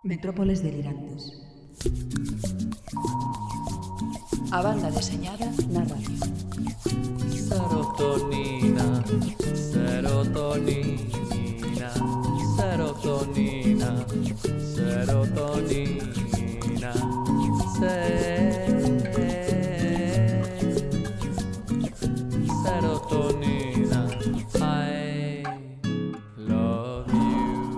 Metrópoles delirantes. A banda deseñada na radio. Serotonina, serotonina, serotonina, serotonina, serotonina, I love you.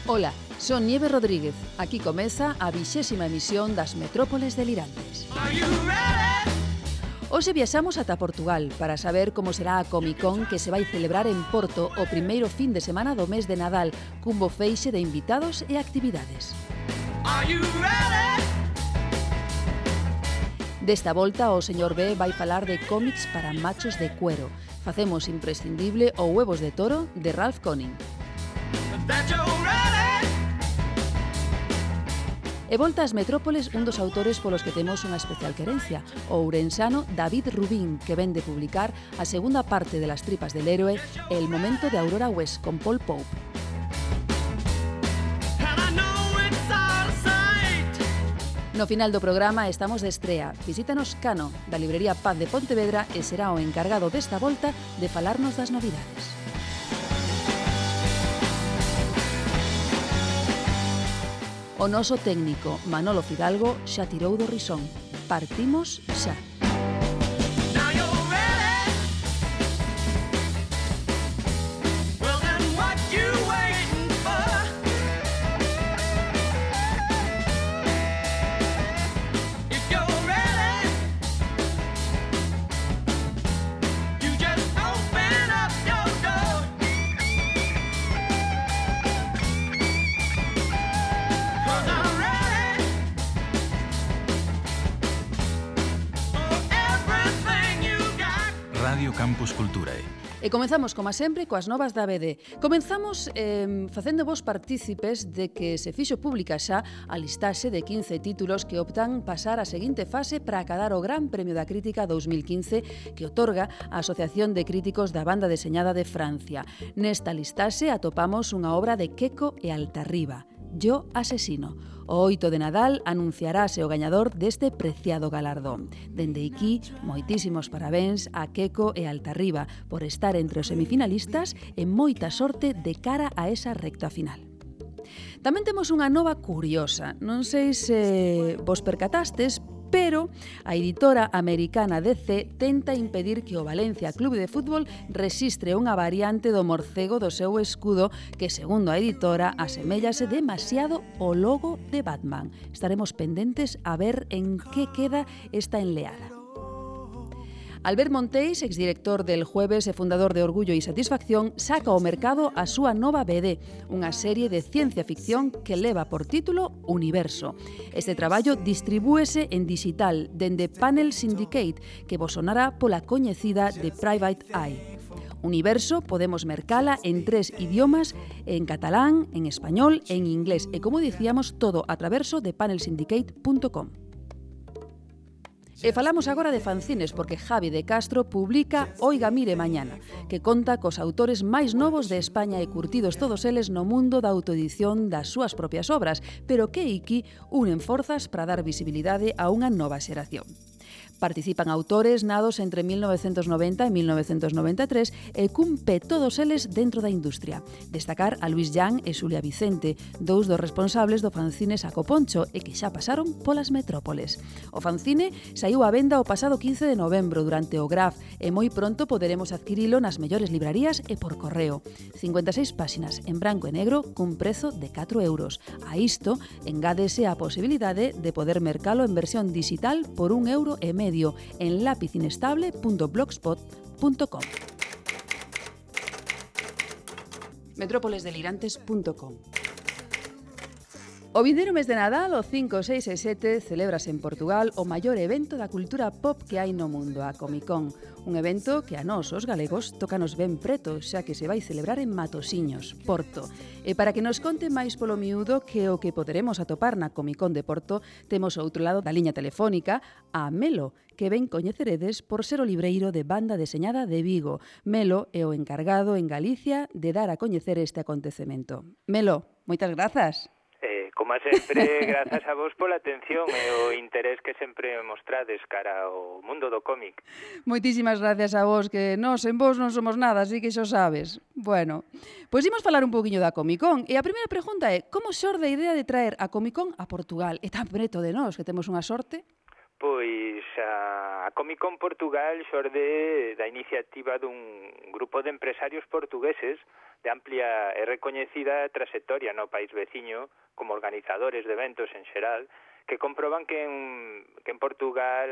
Ola, son Nieve Rodríguez. Aquí comeza a 20ª emisión das Metrópoles delirantes. Hoxe viaxamos ata Portugal para saber como será a Comic Con que se vai celebrar en Porto o primeiro fin de semana do mes de Nadal, cun bo feixe de invitados e actividades. Desta volta, o señor B vai falar de cómics para machos de cuero. Facemos imprescindible o Huevos de Toro de Ralph Conning. E volta ás Metrópoles un dos autores polos que temos unha especial querencia, o ourensano David Rubín, que ven de publicar a segunda parte de Las tripas del héroe, El momento de Aurora West, con Paul Pope. No final do programa estamos de estrea. Visítanos Cano, da librería Paz de Pontevedra, e será o encargado desta volta de falarnos das novidades. O noso técnico, Manolo Fidalgo, xa tirou do risón. Partimos xa. Radio Campus Culturae. E comenzamos, como sempre, coas novas da ABD. Comenzamos facendo vos partícipes de que se fixo pública xa a listaxe de 15 títulos que optan pasar a seguinte fase para acadar o Gran Premio da Crítica 2015 que otorga a Asociación de Críticos da Banda Deseñada de Francia. Nesta listaxe atopamos unha obra de Queco e Altarriba, Yo asesino. O 8 de Nadal anunciarase o gañador deste preciado galardón. Dende aquí, moitísimos parabéns a Queco e Altarriba por estar entre os semifinalistas e moita sorte de cara a esa recta final. Tamén temos unha nova curiosa. Non sei se vos percatastes, pero a editora americana DC tenta impedir que o Valencia Club de Fútbol rexistre unha variante do morcego do seu escudo que, segundo a editora, aseméllase demasiado ao logo de Batman. Estaremos pendentes a ver en que queda esta enleada. Albert Monteis, exdirector del Jueves e fundador de Orgullo e Satisfacción, saca ao mercado a súa nova BD, unha serie de ciencia ficción que leva por título Universo. Este traballo distribúese en digital dende Panel Syndicate, que vos sonará pola coñecida de Private Eye. Universo podemos mercala en 3 idiomas, en catalán, en español e en inglés, e como dicíamos, todo a traverso de panelsyndicate.com. E falamos agora de fanzines porque Javi de Castro publica Oiga Mire Mañana, que conta cos autores máis novos de España e curtidos todos eles no mundo da autoedición das súas propias obras, pero que iki unen forzas para dar visibilidade a unha nova xeración. Participan autores nados entre 1990 e 1993 e cumpe todos eles dentro da industria. Destacar a Luis Jan e Xulia Vicente, dous dos responsables do fanzine Saco Poncho e que xa pasaron polas Metrópoles. O fanzine saiu á venda o pasado 15 de novembro durante o Graf e moi pronto poderemos adquirilo nas mellores librarías e por correo. 56 páxinas en branco e negro cun prezo de 4 euros. A isto engádese a posibilidade de poder mercalo en versión digital por €1,5 en lapizinestable.blogspot.com. metrópolesdelirantes.com. O vindeiro mes de Nadal, o 5, 6 e 7, celébrase en Portugal o maior evento da cultura pop que hai no mundo, a Comic Con. Un evento que a nós, os galegos, tócanos ben preto, xa que se vai celebrar en Matosiños, Porto. E para que nos conte máis polo miúdo que o que poderemos atopar na Comic Con de Porto, temos ao outro lado da liña telefónica a Melo, que ben coñeceredes por ser o libreiro de Banda Deseñada de Vigo. Melo é o encargado en Galicia de dar a coñecer este acontecemento. Melo, moitas grazas. Como sempre, grazas a vos pola atención e o interés que sempre mostrades cara ao mundo do cómic. Moitísimas gracias a vos, que nós en vos non somos nada, así que xo sabes. Bueno, pois imos falar un poquinho da Comic Con. E a primeira pregunta é, como xorde a idea de traer a Comic Con a Portugal? E tan preto de nós, que temos unha sorte? Pois a Comic Con Portugal xorde da iniciativa dun grupo de empresarios portugueses de amplia e recoñecida trayectoria no país veciño, como organizadores de eventos en xeral, que comproban que en Portugal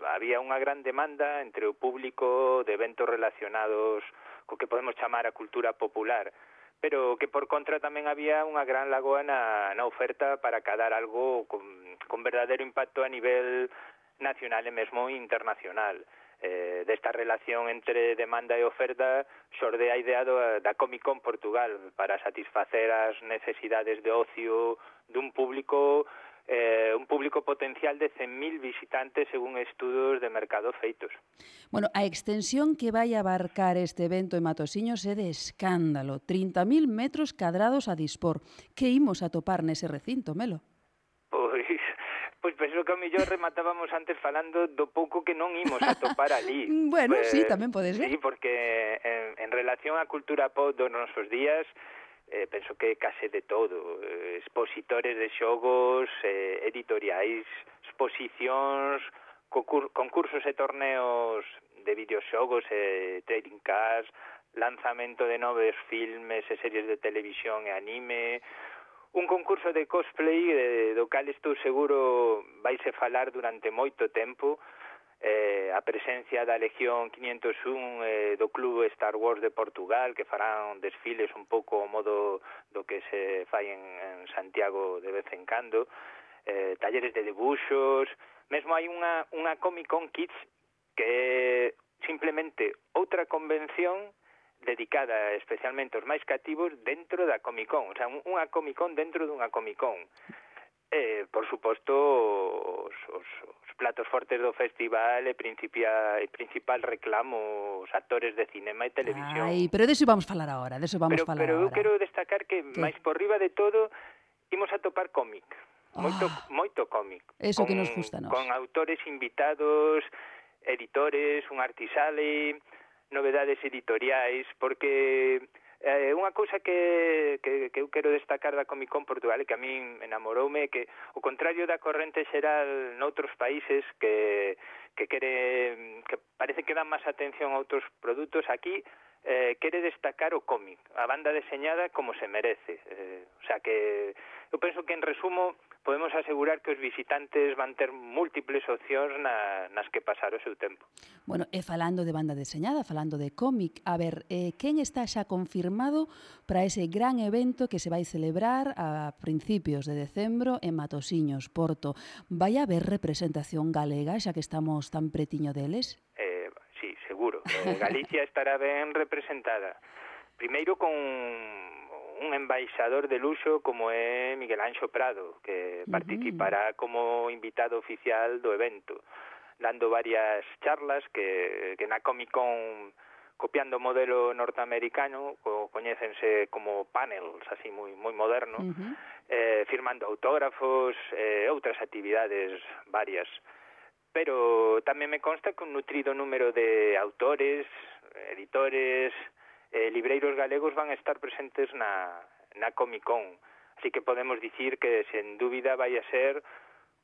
había unha gran demanda entre o público de eventos relacionados co que podemos chamar a cultura popular, pero que por contra tamén había unha gran lagoa na oferta para cadar algo con verdadeiro impacto a nivel nacional e mesmo internacional. Desta relación entre demanda e oferta xorde a idea da Comic Con Portugal para satisfacer as necesidades de ocio dun público un público potencial de 100.000 visitantes según estudos de mercado feitos. Bueno, a extensión que vai abarcar este evento en Matosiños é de escándalo, 30.000 metros cadrados a dispor. Que imos a topar nese recinto, Melo? Pois penso que ao mellor rematábamos antes falando do pouco que non imos a topar ali. Bueno, sí, tamén pode ser. Sí, porque en relación á cultura pop dos nosos días, penso que case de todo. Expositores de xogos, editoriais, exposicións, concursos e torneos de videoxogos e trading cards, lanzamento de novos filmes e series de televisión e anime, un concurso de cosplay do cal estou seguro vaise falar durante moito tempo, a presencia da Legión 501 do Club Star Wars de Portugal, que farán desfiles un pouco ao modo do que se fai en Santiago de vez en cando, talleres de debuxos, mesmo hai unha Comic Con Kids que é simplemente outra convención dedicada especialmente aos máis cativos dentro da Comic Con, o sea, unha Comic Con dentro dunha Comic Con. Por suposto, os platos fortes do festival e principal reclamo os actores de cinema e televisión. Ai, pero deso vamos falar agora, Pero eu quero destacar que, máis por riba de todo, imos a topar cómic. Moito cómic. Eso que nos gusta a nós. Con autores invitados, editores, un artisale, novedades editoriais, porque unha cousa que eu quero destacar da Comic Con Portugal e que a min enamoroume é que, ao contrario da corrente xeral noutros países que parece que dan máis atención a outros produtos, aquí quere destacar o cómic, a banda deseñada como se merece. O sea que eu penso que en resumo podemos asegurar que os visitantes van ter múltiples opcións nas que pasar o seu tempo. Bueno, e falando de banda deseñada, falando de cómic, a ver, quen está xa confirmado para ese gran evento que se vai celebrar a principios de decembro en Matosiños, Porto? Vai haber representación galega, xa que estamos tan pretiño deles? Sí, seguro. Galicia estará ben representada. Primeiro con un embaixador de luxo como é Miguel Anxo Prado, que participará como invitado oficial do evento, dando varias charlas que na Comic Con, copiando o modelo norteamericano, coñécense como panels, así moi modernos, firmando autógrafos, outras actividades varias. Pero tamén me consta que un nutrido número de autores, editores, libreiros galegos van a estar presentes na Comic Con. Así que podemos dicir que, sen dúbida, vai a ser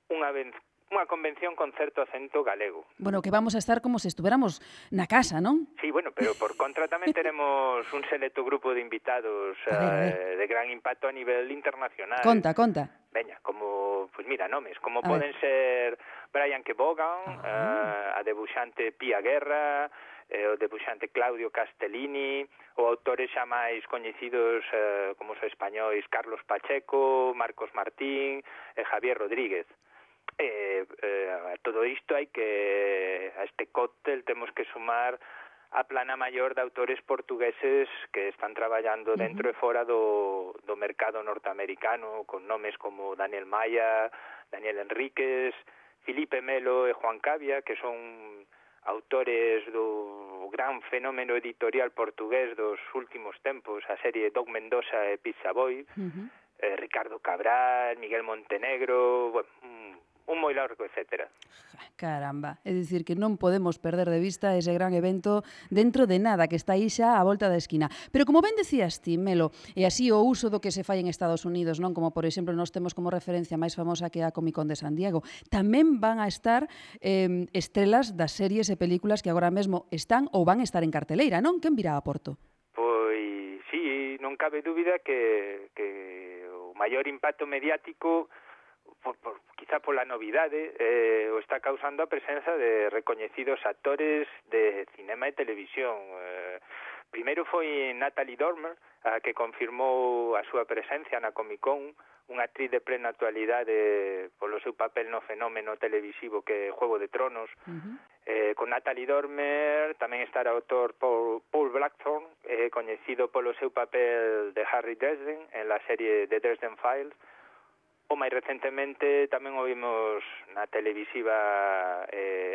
unha unha convención con certo acento galego. Bueno, que vamos a estar como se estuéramos na casa, non? Sí, bueno, pero por contra tamén tenemos un selecto grupo de invitados A ver. de gran impacto a nivel internacional. Conta. Veña, como, pues mira, nomes, como A poden ser Brian Kevogan, a debuxante Pía Guerra, o debuxante Claudio Castellini, ou autores xa máis coñecidos como os españois Carlos Pacheco, Marcos Martín e Javier Rodríguez. A todo isto hai que a este cóctel temos que sumar a plana maior de autores portugueses que están traballando dentro e fora do mercado norteamericano, con nomes como Daniel Maya, Daniel Enríquez, Filipe Melo e Juan Cavia, que son autores do gran fenómeno editorial portugués dos últimos tempos, a serie Dog Mendoza e Pizza Boy, Ricardo Cabral, Miguel Montenegro, bueno, un moi largo, etcétera. Caramba, é dicir que non podemos perder de vista ese gran evento dentro de nada, que está aí xa á volta da esquina. Pero como ben decías ti, Melo, e así o uso do que se fai en Estados Unidos, non, como por exemplo nós temos como referencia máis famosa que a Comic Con de San Diego, tamén van a estar estrelas das series e películas que agora mesmo están ou van a estar en carteleira, non? Quen virá a Porto? Pois, sí, non cabe dúbida que o maior impacto mediático quizá pola novidade o está causando a presenza de recoñecidos actores de cinema e televisión. Primeiro foi Natalie Dormer, a que confirmou a súa presencia na Comic Con, unha actriz de plena actualidade polo seu papel no fenómeno televisivo que é Juego de Tronos. Con Natalie Dormer tamén estará o autor Paul Blackthorne, coñecido polo seu papel de Harry Dresden en la serie The Dresden Files. O máis recentemente tamén o vimos na televisiva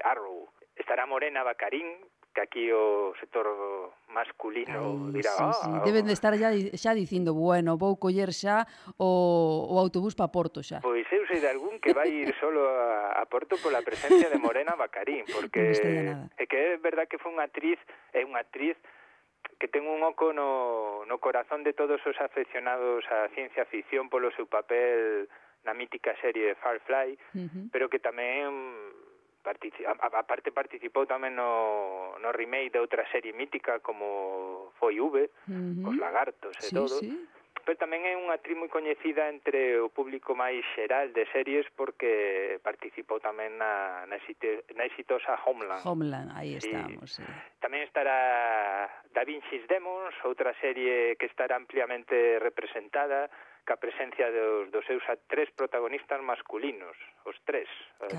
Arrow. Estará Morena Baccarín, que aquí o sector masculino dirá... Sí. Deben de estar xa dicindo, bueno, vou coller xa o autobús para Porto xa. Pois eu sei de algún que vai ir solo a Porto pola presencia de Morena Baccarín, porque é que é verdad que foi unha actriz que ten un oco no corazón de todos os afeccionados á ciencia ficción polo seu papel na mítica serie Firefly, pero que tamén aparte participou tamén no remake de outra serie mítica como foi V, cos lagartos e todo. Pero tamén é unha actriz moi coñecida entre o público máis xeral de series porque participou tamén na exitosa Homeland. Homeland, aí estamos, sí. Tamén estará Da Vinci's Demons, outra serie que estará ampliamente representada, ca presencia dos seus tres protagonistas masculinos, os tres,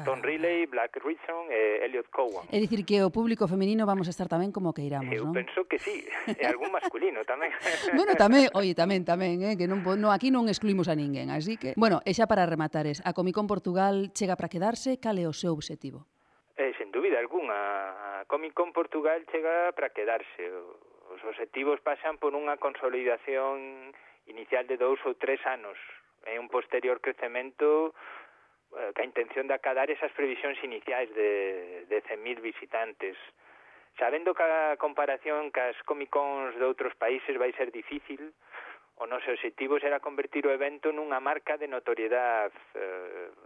Tom Riley, Black Ritson e Elliot Cowan. É dicir que o público feminino vamos a estar tamén como que iramos, non? Eu penso que sí, e algún masculino tamén. Bueno, tamén, que aquí non excluímos a ninguén, así que... Bueno, e xa para rematares, a Comic Con Portugal chega para quedarse, cal é o seu obxectivo? Sen dúbida algunha, a Comic Con Portugal chega para quedarse. Os obxectivos pasan por unha consolidación inicial de 2 ou 3 anos, e un posterior crecemento ca intención de acadar esas previsións iniciais de 100.000 visitantes. Sabendo que a comparación cas Comic Cons de outros países vai ser difícil, o noso objetivo será convertir o evento nunha marca de notoriedade,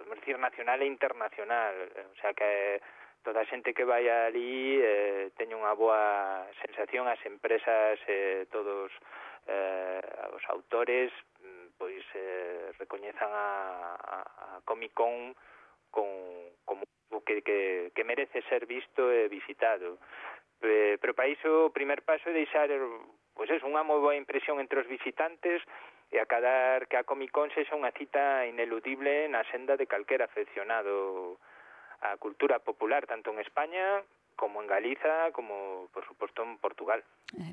vamos dicir, nacional e internacional, o sea que toda a xente que vai ali teña unha boa sensación, as empresas, todos os autores pois recoñezan a Comic Con como que merece ser visto e visitado. Pero para iso o primer paso é deixar pois unha moi boa impresión entre os visitantes e acadar que a Comic Con sexa unha cita ineludible na senda de calquera afeccionado á cultura popular, tanto en España como en Galiza, como, por suposto, en Portugal.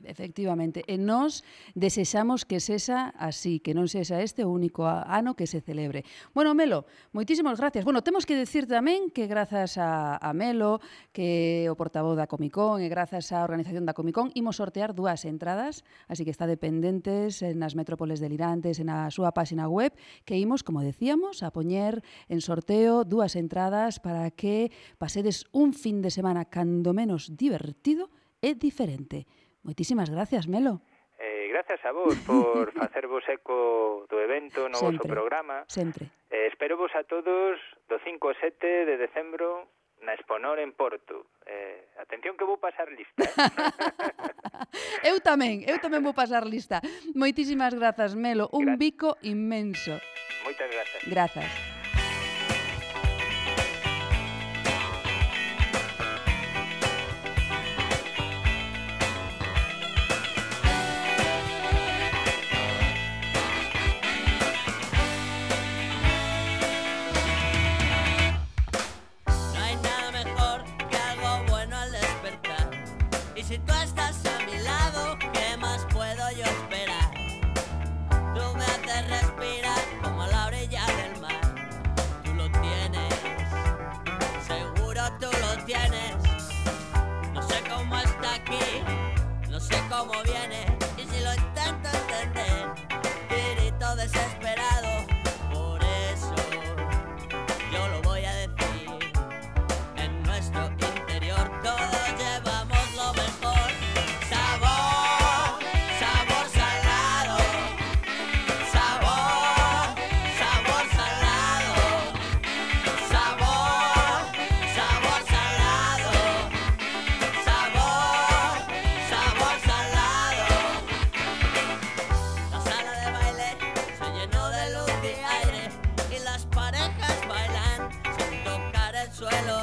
Efectivamente. E nós desexamos que sexa así, que non sexa este o único ano que se celebre. Bueno, Melo, moitísimas gracias. Bueno, temos que decir tamén que grazas a Melo, que é o portavoz da Comic Con, e grazas á organización da Comic Con, imos sortear 2 entradas, así que está dependentes nas metrópoles delirantes, na súa página web, que imos, como decíamos, a poñer en sorteo 2 entradas para que pasedes un fin de semana cando menos divertido e diferente. Moitísimas gracias, Melo. grazas a vos por facervos eco do evento no vosso programa. Sempre. Espero vos a todos do 5 ao 7 de decembro na Exponor en Porto. Atención que vou pasar lista, Eu tamén vou pasar lista. Moitísimas grazas, Melo. Un bico inmenso. Moitas grazas. Grazas. Si tú estás a mi lado, ¿qué más puedo yo esperar? Tú me haces respirar como a la orilla del mar. Tú lo tienes, seguro tú lo tienes. No sé cómo está aquí, no sé cómo viene. Y si lo intento entender, grito desesperado. Por eso yo lo voy a decir. En nuestro interior todos llevamos lo mejor. Sabor, sabor salado. Sabor, sabor salado. Sabor, sabor salado. Sabor, sabor salado. La sala de baile se llenó de luz y aire y las parejas bailan sin tocar el suelo.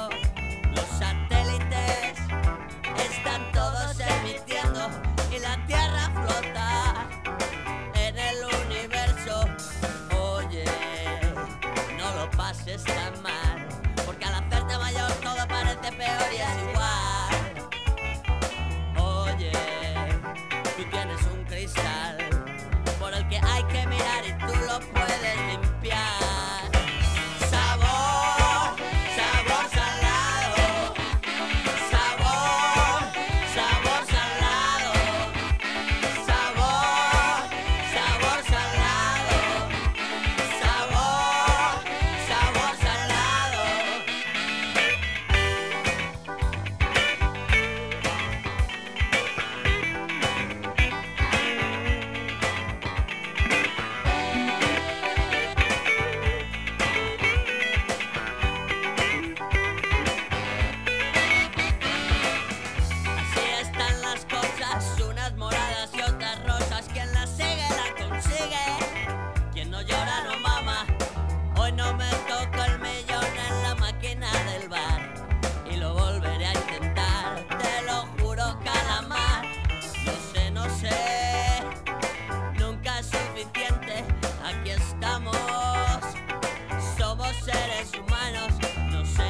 Los satélites están todos emitiendo y la Tierra flota en el universo. Oye, no lo pases tan mal, porque al hacerte mayor todo parece peor y es igual. Oye, tú tienes un cristal por el que hay que mirar y tú lo puedes limpiar. Sabor, sabor salado. Sabor, sabor salado. Sabor, sabor salado. Sabor, sabor salado. Así están las cosas, unas moradas y otras rosas. Quien las sigue la consigue, quien no llora no mama. Hoy no me toca el millón en la máquina del bar y lo volveré a intentar, te lo juro, calamar. No sé, nunca es suficiente. Aquí estamos, somos seres humanos. No sé,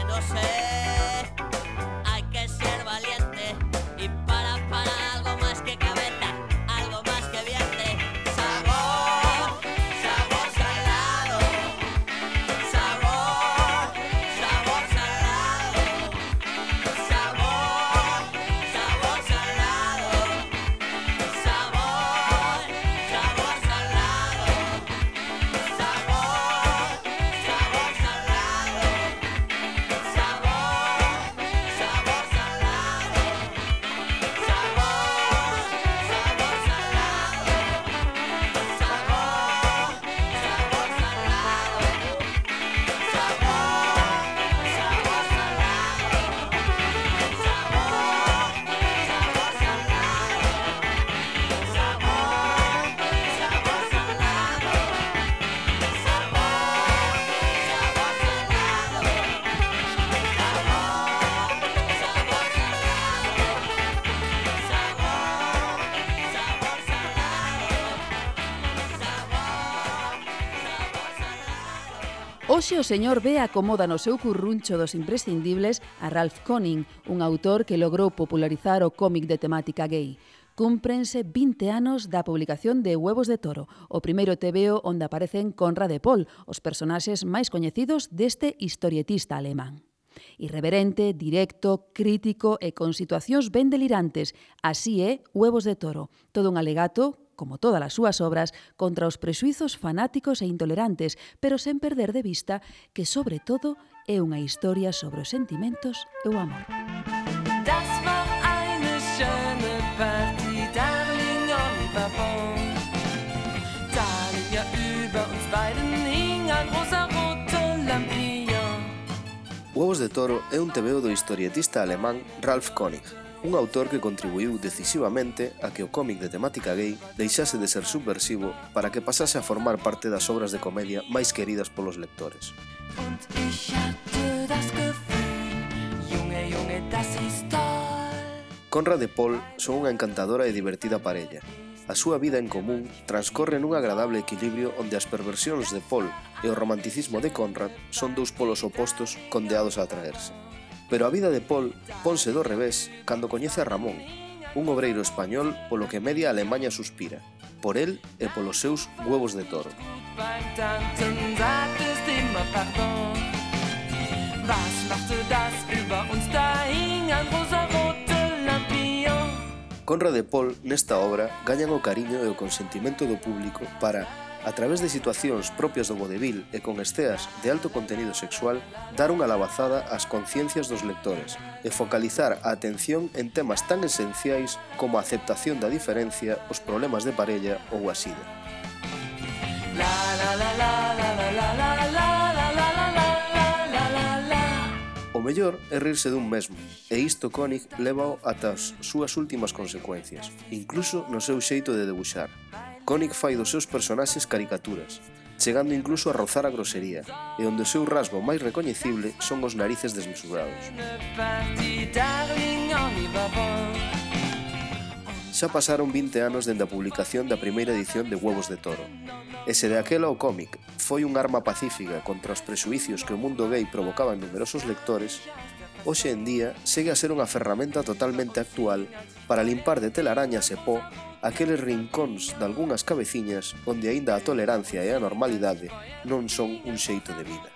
hay que ser valiente y para algo más que cabeza, algo más que viente. Sabor, sabor salado. Sabor, sabor salado. Sabor, sabor salado. Sabor, sabor salado. Sabor, sabor salado. Hoxe o señor B acomoda no seu curruncho dos imprescindibles a Ralph Koenig, un autor que logrou popularizar o cómic de temática gay. Cúmprense 20 anos da publicación de Huevos de Toro, o primeiro tebeo onde aparecen Conrad e Paul, os personaxes máis coñecidos deste historietista alemán. Irreverente, directo, crítico e con situacións ben delirantes, así é Huevos de Toro, todo un alegato, como todas as súas obras, contra os prexuizos fanáticos e intolerantes, pero sen perder de vista que, sobre todo, é unha historia sobre os sentimentos e o amor. Das war eine schöne Party, Darling, Oliver Bone. uns beiden hing ein rosaroter Lampion. Huevos de Toro é un tebeo do historietista alemán Ralph König, un autor que contribuiu decisivamente a que o cómic de temática gay deixase de ser subversivo para que pasase a formar parte das obras de comedia máis queridas polos lectores. Und ich hatte das Gefühl, Junge, Junge, das ist toll. Conrad e Paul son unha encantadora e divertida parella. A súa vida en común transcorre nun agradable equilibrio onde as perversións de Paul e o romanticismo de Conrad son dous polos opostos condeados a atraerse. Pero a vida de Paul ponse do revés cando coñece a Ramón, un obreiro español polo que media Alemanha suspira, por el e polos seus huevos de toro. Beim Tanzen sagtest immer Pardon. Was machte das über uns? Da hing ein rosaroter Lampion. Conrad e Paul nesta obra gañan o cariño e o consentimento do público para, a través de situacións propias do vodevil e con esceas de alto contenido sexual, dar unha labazada ás conciencias dos lectores e focalizar a atención en temas tan esenciais como a aceptación da diferencia, os problemas de parella ou a sida. O mellor é rirse dun mesmo, e isto König lévao ata as súas últimas consecuencias, incluso no seu xeito de debuxar. König fai dos seus personaxes caricaturas, chegando incluso a rozar a grosería, e onde o seu rasgo máis recoñecible son os narices desmesurados. Xa pasaron 20 anos dende a publicación da primeira edición de Huevos de Toro, e se de aquela o cómic foi un arma pacífica contra os prexuicios que o mundo gay provocaba en numerosos lectores, hoxe en día segue a ser unha ferramenta totalmente actual para limpar de telarañas e pó aqueles rincóns de algunhas cabeciñas onde aínda a tolerancia e a normalidade non son un xeito de vida.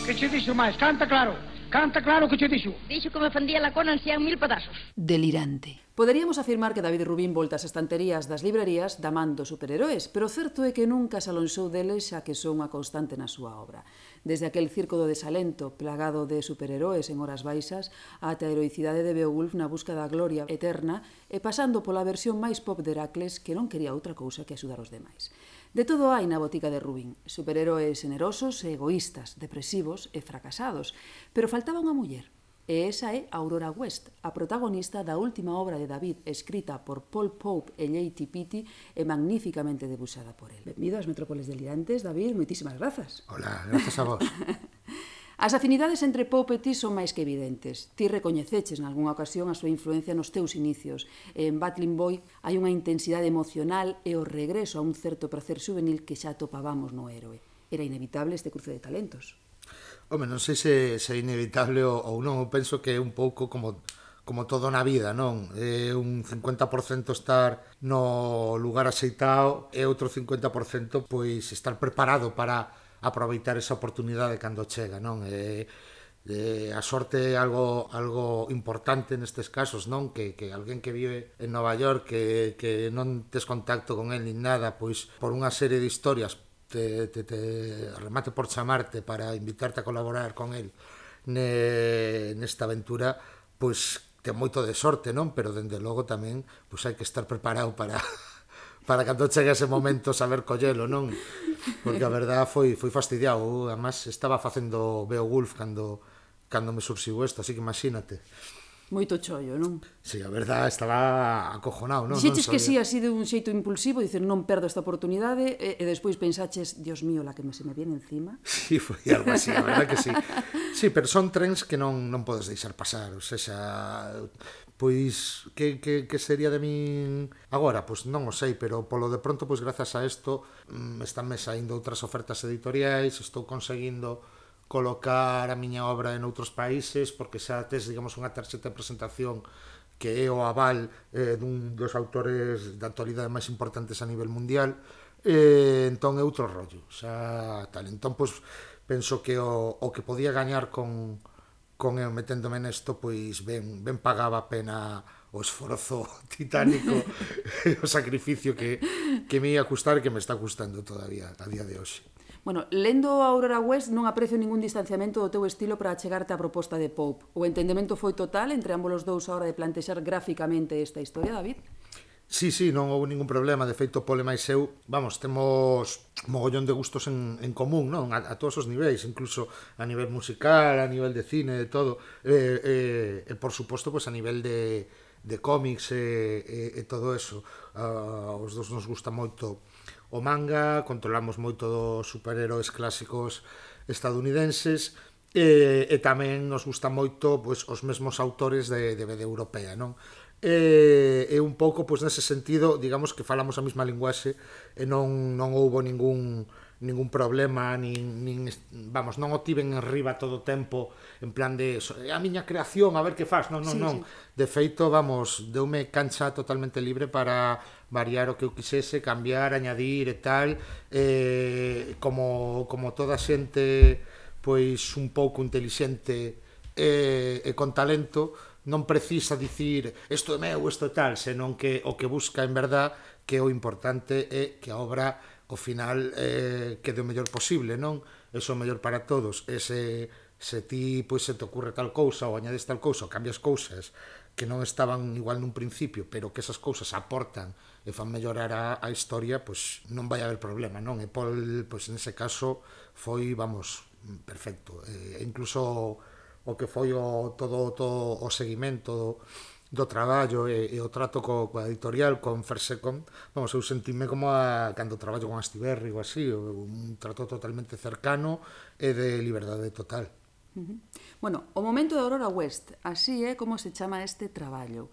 Que che dixo máis? Canta claro que che dixo. Dixo que me fandía la cona en 100.000 pedazos. Delirante. Poderíamos afirmar que David Rubín volta ás estanterías das librerías da man dos superheróis, pero o certo é que nunca se alonxou deles xa que son unha constante na súa obra. Desde aquel circo do desalento, plagado de superheróis en horas baixas, ata a heroicidade de Beowulf na busca da gloria eterna e pasando pola versión máis pop de Heracles que non quería outra cousa que axudar os demais. De todo hai na botica de Rubín, superheróis generosos e egoístas, depresivos e fracasados, pero faltaba unha muller. E esa é Aurora West, a protagonista da última obra de David, escrita por Paul Pope e Lady Pitti e magníficamente debuxada por el. Benvido ás Metrópoles Delirantes, David, moitísimas grazas. Hola, grazas a vos. As afinidades entre Pope e ti son máis que evidentes. Ti recoñeceches nalgúna ocasión a súa influencia nos teus inicios. En Battling Boy hai unha intensidade emocional e o regreso a un certo prazer juvenil que xa topábamos no héroe. Era inevitable este cruce de talentos. Home, non sei se é inevitable ou non, eu penso que é un pouco como todo na vida, non? É un 50% estar no lugar axeitado e outro 50% pois estar preparado para aproveitar esa oportunidade cando chega, non? A sorte é algo importante nestes casos, non? Que alguén que vive en Nova York que non tes contacto con el nin nada, pois por unha serie de historias te remate por chamarte para invitarte a colaborar con el nesta aventura, pois ten moito de sorte, non? Pero dende logo tamén pois hai que estar preparado para cando chegue ese momento saber collelo, non? Porque a verdad foi fastidiado. Además estaba facendo Beowulf cando me surxiu isto, así que imagínate. Moito chollo, non? Sí, a verdad estaba acojonado, non? Dixeches que sí, así de un xeito impulsivo, dicer, non perdo esta oportunidade, e despois pensaches, Dios mío, la que se me viene encima. Sí, foi algo así, a verdad que sí. Sí, pero son trens que non podes deixar pasar, ou seja, pois, que sería de min agora? Pois non o sei, pero polo de pronto, pois grazas a isto, estánme saindo outras ofertas editoriais, estou conseguindo colocar a miña obra en outros países, porque xa tes, digamos, unha tarxeta de presentación que é o aval dun dos autores da actualidade máis importantes a nivel mundial, entón é outro rollo, xa tal. Entón, pois, penso que o que podía gañar con eu meténdome nesto, pois ben pagaba a pena o esforzo titánico e o sacrificio que me ia custar e que me está custando todavía a día de hoxe. Bueno, lendo a Aurora West non aprecio ningún distanciamento do teu estilo para achegarte á proposta de Pope. O entendemento foi total entre ambos os dous a hora de plantexar gráficamente esta historia, David? Sí, non houve ningún problema. De feito, Pol e máis eu, temos mogollón de gustos en común, non? A todos os niveis, incluso a nivel musical, a nivel de cine, de todo. E por suposto, pues, a nivel de cómics e todo eso. Os dos nos gusta moito o manga, controlamos moito dos superheróis clásicos estadounidenses e tamén nos gusta moito, pues, os mesmos autores de BD europea, non? E un pouco, pois, nese sentido, digamos que falamos a mesma linguaxe e non houbo ningún problema, vamos, non o tiven en riba todo o tempo en plan de a miña creación, a ver que faz, non. De feito, vamos, deume cancha totalmente libre para variar o que eu quixese, cambiar, añadir e tal, como toda xente, pois, un pouco intelixente e con talento, non precisa dicir isto é meu, isto é tal, senón que o que busca en verdad que o importante é que a obra ao final quede o mellor posible, non? Eso é o mellor para todos. E se ti, pois, se te ocurre tal cousa ou añades tal cousa ou cambias cousas que non estaban igual nun principio, pero que esas cousas aportan e fan mellorar a historia, pois non vai haber problema, non? E Pol, pois, nese caso foi, vamos, perfecto. E incluso o que foi todo o seguimento do traballo e o trato coa editorial, con Fersecon, vamos, eu sentíme como cando traballo con Astiberri ou así, un trato totalmente cercano e de liberdade total. Bueno, o momento de Aurora West, así é como se chama este traballo.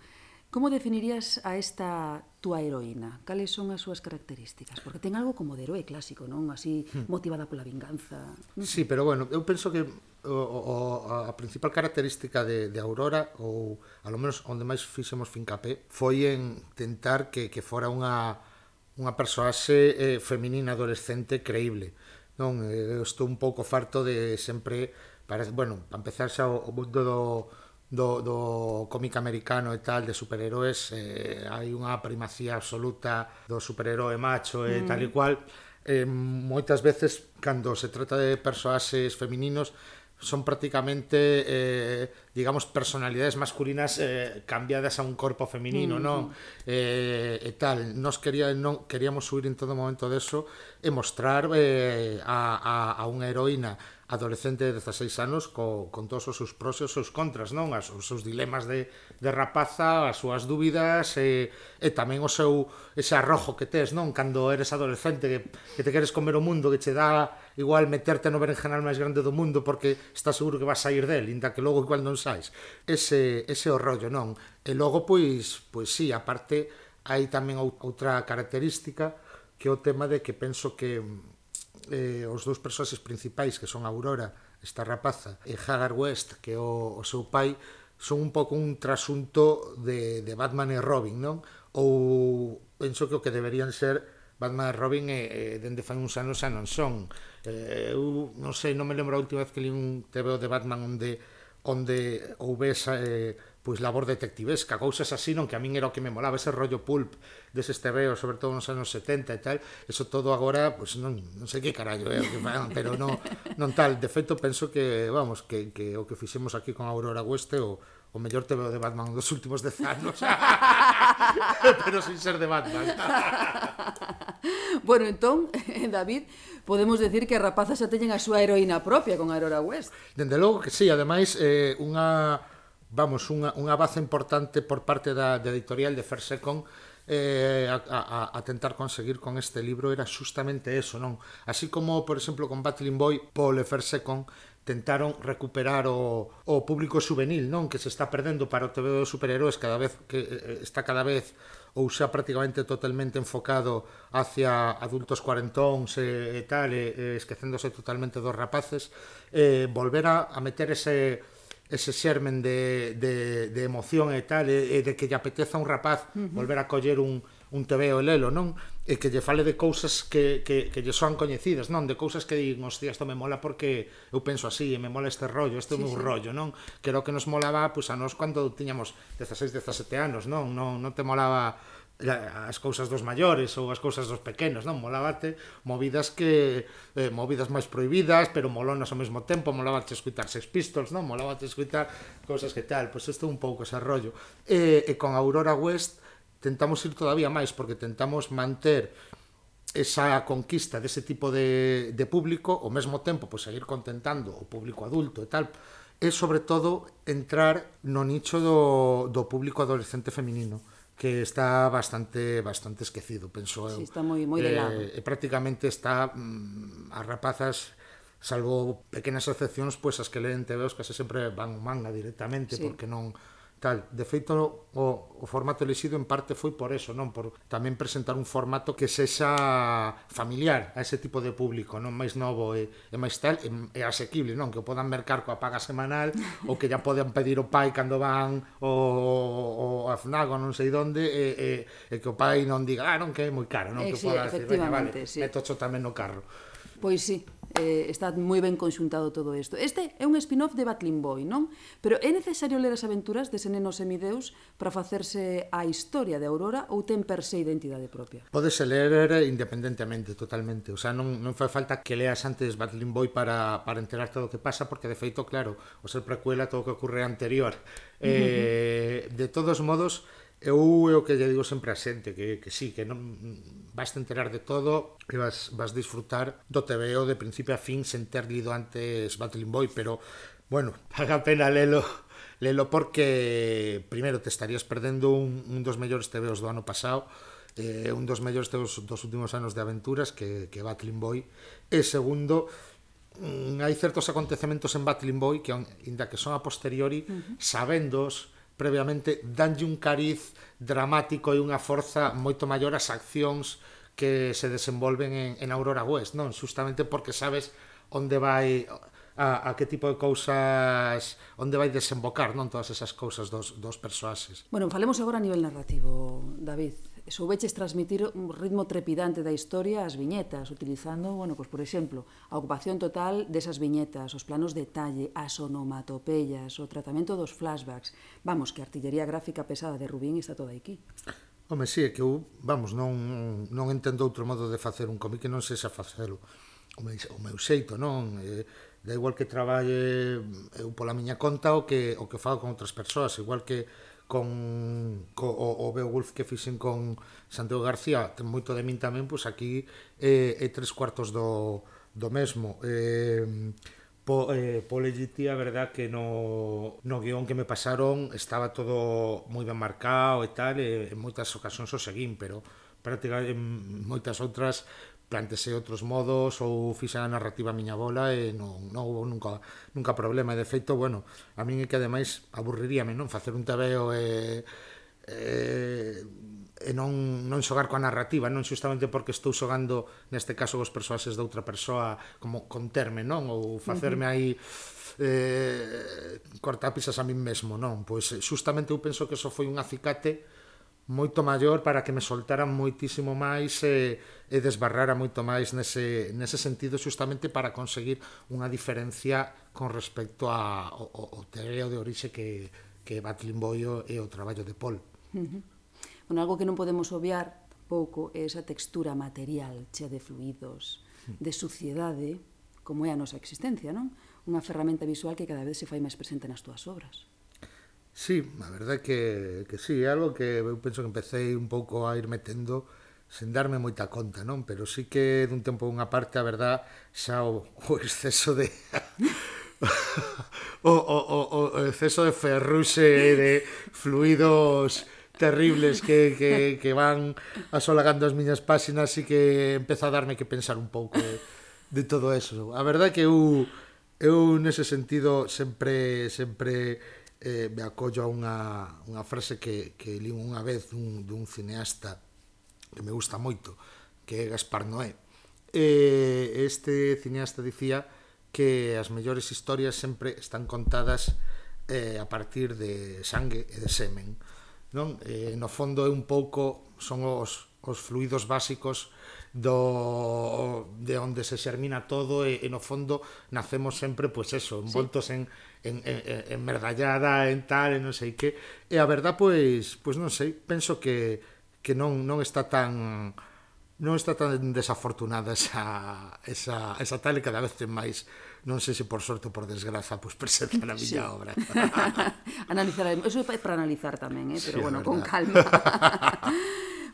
Como definirías a esta túa heroína? Cales son as súas características? Porque ten algo como de heroe clásico, non? Así, motivada pola vinganza. Sí, pero bueno, eu penso que a principal característica de Aurora, ou a lo menos onde máis fixemos fincapé, foi en tentar que fora unha persoaxe feminina adolescente creíble, non? Eu estou un pouco farto de sempre, bueno, para empezar xa o mundo do cómic americano e tal, de superheróis, hai unha primacía absoluta do superheróe macho e tal e cual. Moitas veces, cando se trata de persoaxes femininos, son prácticamente, digamos, personalidades masculinas cambiadas a un corpo feminino, non? E tal, nos queríamos subir en todo momento deso e mostrar a unha heroína adolescente de 16 anos con todos os seus pros e os seus contras, non? Os seus dilemas de rapaza, as súas dúbidas e tamén ese arrojo que tes, non? Cando eres adolescente que te queres comer o mundo, que che dá igual meterte no berenjenal máis grande do mundo porque estás seguro que vas sair del, inda que logo igual non sais. Ese o rollo, non? E logo, pois sí, aparte hai tamén outra característica que é o tema de que penso que os dous persoaxes principais, que son Aurora, esta rapaza, e Hagar West, que é o seu pai, son un pouco un trasunto de Batman e Robin, non? Ou penso que o que deberían ser Batman e Robin dende fai uns anos xa non son. Eu non sei, non me lembro a última vez que li un TVO de Batman onde houvese pois labor detectivesca, cousas así, non, que a min era o que me molaba, ese rollo pulp deses tebeos, sobre todo nos anos 70 e tal, eso todo agora, pois non sei que carallo é o que fan, pero non tal. De feito, penso que, vamos, que o que fixemos aquí con Aurora West é o mellor tebeo de Batman dos últimos 10 anos, pero sin ser de Batman. Bueno, entón, David, podemos decir que a rapaza xa teñen a súa heroína propia con Aurora West. Dende logo que sí, ademais, unha base importante por parte da editorial de Fersecon a tentar conseguir con este libro era justamente eso, non? Así como, por exemplo, con Battling Boy, Pol e Fersecon tentaron recuperar o público juvenil, non? Que se está perdendo para o TV dos superheróis cada vez ou xa prácticamente totalmente enfocado hacia adultos cuarentóns e tal, esquecéndose totalmente dos rapaces, volver a meter ese xermen de emoción e tal, e de que lle apeteza a un rapaz volver a coller un tebeo e lelo, non? E que lle fale de cousas que lle son coñecidas, non? De cousas que digan, hostia, isto me mola porque eu penso así, e me mola este rollo, este é o meu rollo, non? Que era o que nos molaba, pois, a nós cando tiñamos 16, 17 anos, non? Non te molaba as cousas dos maiores ou as cousas dos pequenos, non? Molábate movidas máis prohibidas, pero molonas ao mesmo tempo, molábate escutar Sex Pistols, non? Molábate escutar cousas que tal, pois isto é un pouco ese rollo. E con Aurora West tentamos ir todavía máis, porque tentamos manter esa conquista dese tipo de público, ao mesmo tempo, pois seguir contentando o público adulto e tal, e sobre todo entrar no nicho do público adolescente feminino, que está bastante esquecido, penso eu. Sí, está moi de lado. E prácticamente está as rapazas, salvo pequenas excepcións, pois as que leen TVOs case sempre van ao manga directamente, porque non tal. De feito, o formato elixido en parte foi por eso, non? Por tamén presentar un formato que sexa familiar a ese tipo de público, non? Máis novo e máis tal, e asequible, non? Que o podan mercar coa paga semanal ou que ya poden pedir o pai cando van o a FNAC ou non sei onde e que o pai non diga, non, que é moi caro, non? Que poda decir, veña, vale, metocho tamén no carro. Pois sí, está moi ben conxuntado todo isto. Este é un spin-off de Battling Boy, non? Pero é necesario ler as aventuras dese neno semideus para facerse a historia de Aurora ou ten per se identidade propia? Pódese ler independentemente, totalmente. O sea, non fai falta que leas antes Battling Boy para enterarte do que pasa, porque de feito, claro, o ser precuela todo o que ocurre anterior. De todos modos, eu é o que lle digo sempre a xente, que sí, que non vas a enterar de todo e vas disfrutar do TVO de principio a fin sen ter lido antes Battling Boy, pero, bueno, paga pena lelo porque, primeiro, te estarías perdendo un dos mellores TVOs do ano pasado, un dos mellores TVOs dos últimos anos de aventuras que Battling Boy, e segundo, hai certos acontecementos en Battling Boy que, inda que son a posteriori, sabendos previamente, danlle un cariz dramático e unha forza moito maior ás accións que se desenvolven en Aurora West, non? Justamente porque sabes onde vai a que tipo de cousas, onde vai desembocar, non? Todas esas cousas dos persoaxes. Bueno, falemos agora a nivel narrativo, David. Soubeches transmitir un ritmo trepidante da historia ás viñetas, utilizando, bueno, pois, por exemplo, a ocupación total desas viñetas, os planos de detalle, as onomatopeyas, o tratamento dos flashbacks. Vamos, que a artillería gráfica pesada de Rubín está toda aquí. Home, sí, é que eu, vamos, non entendo outro modo de facer un cómic que non sexa facelo o meu xeito, non? Da igual que traballe eu pola miña conta o que fago con outras persoas, igual que con o Beowulf que fixen con Santiago García, ten moito de min tamén, pois aquí é 3/4 do mesmo. Po legití, a verdad que no guión que me pasaron estaba todo moi ben marcado e tal, e en moitas ocasións o seguín, pero prácticamente en moitas outras plantexei outros modos ou fixa a narrativa a miña bola e non houve nunca problema. E de feito, bueno, a min é que ademais aburriríame, non? Facer un TVO e non xogar coa narrativa, non xustamente porque estou xogando neste caso os persoaxes de outra persoa, como conterme, non? Ou facerme aí cortapisas a min mesmo, non? Pois xustamente eu penso que eso foi un acicate moito maior para que me soltaran moitísimo máis e desbarrara moito máis nese sentido, xustamente para conseguir unha diferencia con respecto ao TVO de orixe que Battling Boy e o traballo de Paul. Bueno, algo que non podemos obviar tampouco é esa textura material chea de fluidos, de suciedade, como é a nosa existencia, non? Unha ferramenta visual que cada vez se fai máis presente nas túas obras. Sí, a verdade que sí, é algo que eu penso que empecé un pouco a ir metendo sen darme moita conta, non? Pero sí que dun tempo a unha parte, a verdade, xa o exceso de o exceso de ferruxe e de fluidos terribles que van asolagando as miñas páxinas, e que empeza a darme que pensar un pouco de todo eso. A verdade que eu nese sentido sempre me acollo a unha frase que li unha vez dun cineasta que me gusta moito, que é Gaspar Noé. Este cineasta dicía que as mellores historias sempre están contadas a partir de sangue e de semen, non? No fondo é un pouco, son os fluidos básicos de onde se xermina todo, e no fondo nacemos sempre, pois eso, envoltos en merdallada, en tal, e non sei que. E a verdad, pois non sei, penso que que non está tan desafortunada esa tal e cada vez ten máis, non sei se por sorte ou por desgraza, pois presenta na miña obra. Analizaremos, eso é para analizar tamén, pero bueno, con calma.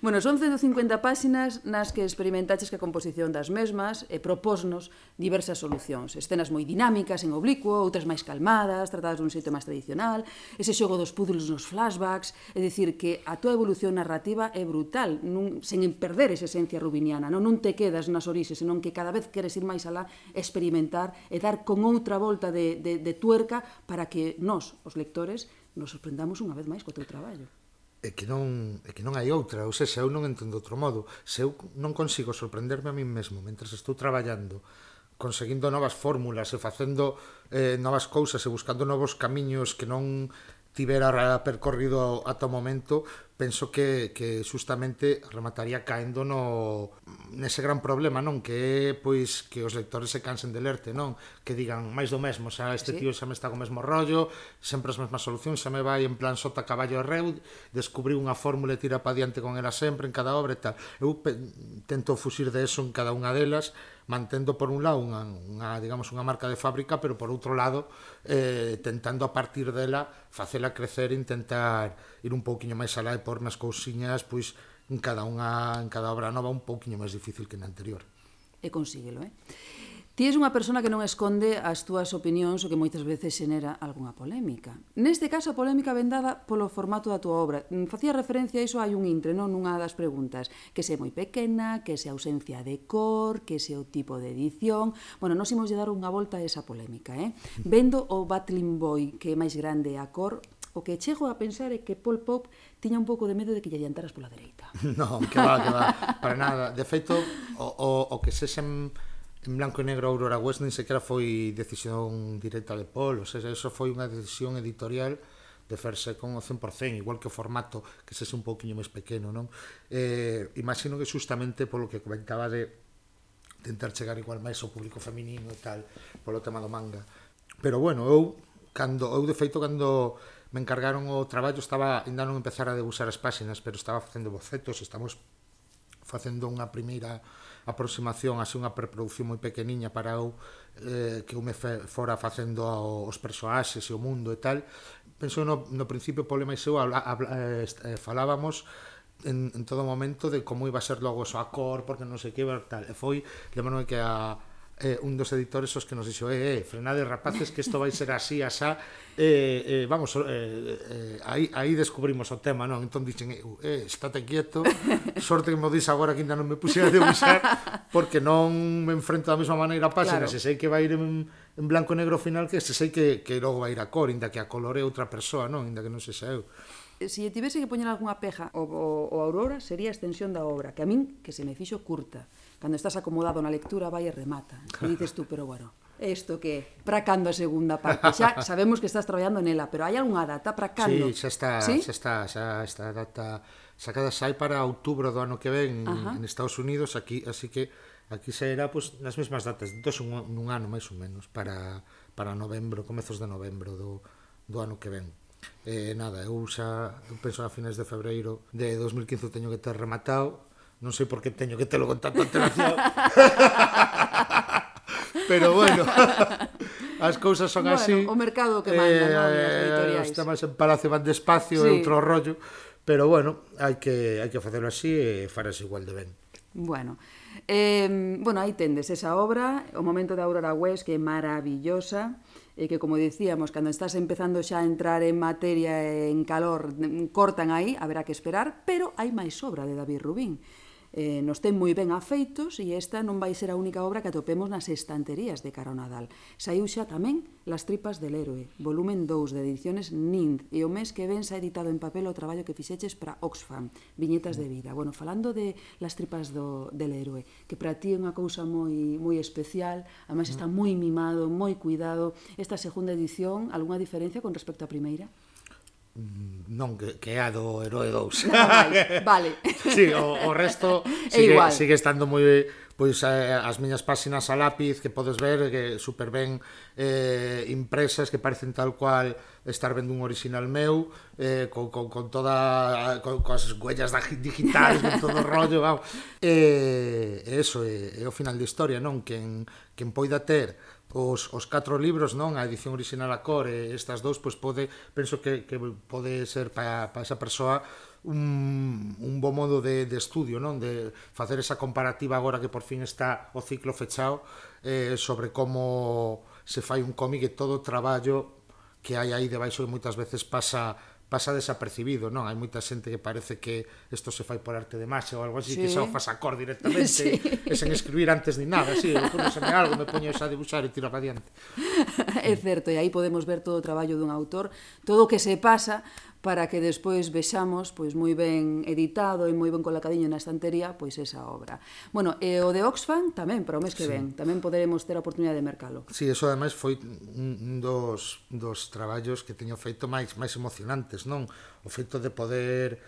Bueno, son 150 páxinas nas que experimentaches que a composición das mesmas e propósnos diversas solucións. Escenas moi dinámicas en oblicuo, outras máis calmadas, tratadas dun xeito máis tradicional, ese xogo dos puzzles nos flashbacks, é dicir, que a tua evolución narrativa é brutal, sen perder esa esencia rubiniana, non te quedas nas orixes, senón que cada vez queres ir máis alá, experimentar e dar con outra volta de tuerca para que nós, os lectores, nos sorprendamos unha vez máis co teu traballo. É que non hai outra, ou seja, eu non entendo outro modo. Se eu non consigo sorprenderme a mí mesmo mentre estou traballando, conseguindo novas fórmulas e facendo novas cousas e buscando novos camiños que non tivera percorrido ata o momento, penso que justamente remataría caendo nese gran problema, non? Que é, pois, que os lectores se cansen de lerte, non? Que digan máis do mesmo, xa este tío xa me está co mesmo rollo, sempre as mesmas solucións, xa me vai en plan sota caballo e reu, descubriu unha fórmula e tira pa diante con ela sempre en cada obra e tal. Eu tento fuxir de eso en cada unha delas, mantendo por un lado unha marca de fábrica, pero por outro lado tentando a partir dela facela crecer e intentar ir un pouquiño máis alá e por nas cousiñas pois en cada obra nova un pouquiño máis difícil que na anterior. E consíguelo, Ti és unha persona que non esconde as túas opinións o que moitas veces xenera algunha polémica. Neste caso, a polémica vendada polo formato da túa obra. Facía referencia a iso, hai un intre, non? Nunha das preguntas. Que se é moi pequena, que se ausencia de cor, que se o tipo de edición... Bueno, nós imos dar unha volta a esa polémica, Vendo o Battling Boy, que é máis grande a cor, o que chego a pensar é que Pol Pot tiña un pouco de medo de que lle adiantaras pola dereita. Non, que va, para nada. De feito, o que sexen en blanco e negro Aurora West nin sequera foi decisión directa de Pol, ou seja, eso foi unha decisión editorial de ferse con o 100%, igual que o formato que sexe un pouquiño máis pequeno, non? Imagino que justamente polo que comentaba de tentar chegar igual máis ao público feminino e tal, polo tema do manga. Pero bueno, eu de feito, cando me encargaron o traballo, ainda non empezar a debuxar as páxinas, pero estaba facendo bocetos, estamos facendo unha primeira aproximación, así unha preproducción moi pequeniña para que eu me fora facendo os persoaxes e o mundo e tal. Penso no principio, Pol e máis eu falábamos en todo momento de como iba a ser logo a cor, porque non sei que tal, e foi de maneira que un dos editores os que nos dixo frenade rapaces que isto vai ser así, asá, vamos, aí descubrimos o tema, non? Entón dixen, estate quieto, sorte que me dís agora que ainda non me puxera a debuxar, porque non me enfrento da mesma maneira a página, se sei que vai ir en blanco e negro final, que se sei que logo vai ir a cor, inda que a color é outra persoa, non? Inda que non sexa eu. Se tivese que poñer algunha peja o Aurora, sería a extensión da obra, que a min, que se me fixo curta. Cando estás acomodado na lectura, vai e remata. E dices tú, pero bueno, isto que para cando a segunda parte? Xa sabemos que estás traballando nela, pero hai algunha data para cando? Sí, xa está a data sacada, sai para outubro do ano que ven en Estados Unidos, así que aquí sairá pues, nas mesmas datas, nun ano máis ou menos, para novembro, comezos de novembro do ano que ven. Nada, eu penso a finais de febreiro de 2015 teño que ter rematado. Non sei por que teño que telo con tanta antelación. Pero bueno, as cousas son así. O mercado que manda, non? As editoriais. Os temas en Palacio van despacio, é outro rollo. Pero bueno, hai que facelo así e farase igual de ben. Bueno, aí tendes esa obra, o momento da Aurora West, que é maravillosa, e que, como dicíamos, cando estás empezando xa a entrar en materia, en calor, cortan aí, haberá que esperar, pero hai máis obra de David Rubín. Nos ten moi ben afeitos e esta non vai ser a única obra que atopemos nas estanterías de cara ao Nadal. Saiu xa tamén Las tripas del héroe, volumen 2 de ediciones Nind, e o mes que ven xa editado en papel o traballo que fixeches para Oxfam, Viñetas de vida. Bueno, falando de Las tripas del héroe, que para ti é unha cousa moi especial, además está moi mimado, moi cuidado. Esta segunda edición, algunha diferencia con respecto á primeira? non, que é a do Heroe 2. Vale. Sí, o resto sigue estando moi... Pois as miñas páxinas a lápiz que podes ver que super ben impresas, que parecen tal cual estar vendo un original meu, con toda coas huellas digitales, con todo o rollo, eso é o final da historia, non? Quen poida ter os 4 libros, non, a edición original a cor e estas dous, pois penso que pode ser para esa persoa un bo modo de estudio, non? De facer esa comparativa agora que por fin está o ciclo fechado sobre como se fai un cómic e todo o traballo que hai aí debaixo que moitas veces pasa desapercibido, non? Hai moita xente que parece que isto se fai por arte de magia ou algo así, que xa o faz a cor directamente e sen escribir antes ni nada, así, ocurreseme algo, me poño xa a dibuixar e tiro para diante. É certo, e aí podemos ver todo o traballo dun autor, todo o que se pasa para que despois vexamos pois moi ben editado e moi ben colocadiño na estantería pois esa obra. Bueno, e o de Oxfam tamén para o mes que ven, tamén poderemos ter a oportunidade de mercalo. Sí, eso ademais foi un dos traballos que teño feito máis emocionantes, non? O feito de poder